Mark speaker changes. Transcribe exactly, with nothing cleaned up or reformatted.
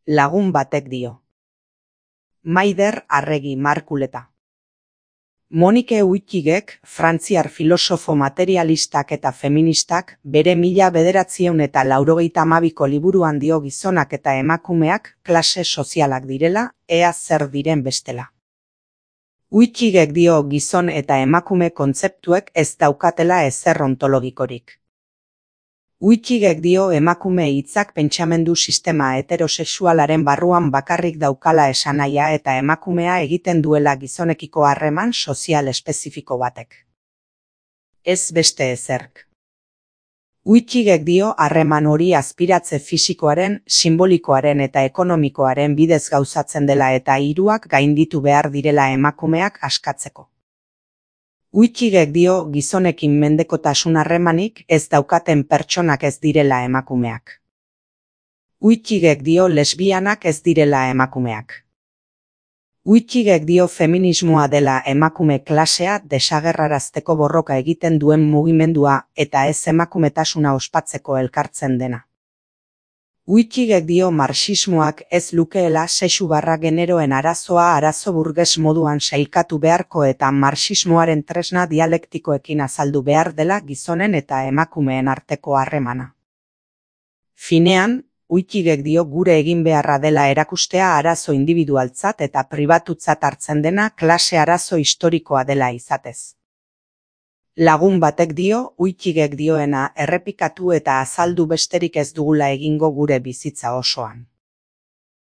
Speaker 1: Lagun batek dio. Maider Arregi Markuleta. Monike Wittigek, frantziar filosofo materialistak eta feministak, bere mila bederatziehun eta laurogeita hamabiko liburuan dio gizonak eta emakumeak klase sozialak direla, ea zer diren bestela. Wittigek dio gizon eta emakume kontzeptuek ez daukatela ezer ontologikorik. Wittigek dio emakume hitzak pentsamendu sistema heterosexualaren barruan bakarrik daukala esanahia eta emakumea egiten duela gizonekiko harreman sozial espezifiko batek. Ez beste ezerk. Wittigek dio harreman hori azpiratze fisikoaren, simbolikoaren eta ekonomikoaren bidez gauzatzen dela eta hiruak gainditu behar direla emakumeak askatzeko. Wittigek dio gizonekin mendekotasun harremanik ez daukaten pertsonak ez direla emakumeak. Wittigek dio lesbianak ez direla emakumeak. Wittigek dio feminismoa dela emakume klasea desagerrarazteko borroka egiten duen mugimendua eta ez emakumetasuna ospatzeko elkartzen dena. Wittigek dio marxismoak ez lukeela sexu barra generoen arazoa arazo burges moduan sailkatu beharko eta marxismoaren tresna dialektikoekin azaldu behar dela gizonen eta emakumeen arteko harremana. Finean, Wittigek dio gure egin beharra dela erakustea arazo indibidualtzat eta pribatutzat hartzen dena klase arazo historikoa dela izatez. Lagun batek dio, Wittigek dioena errepikatu eta azaldu besterik ez dugula egingo gure bizitza osoan.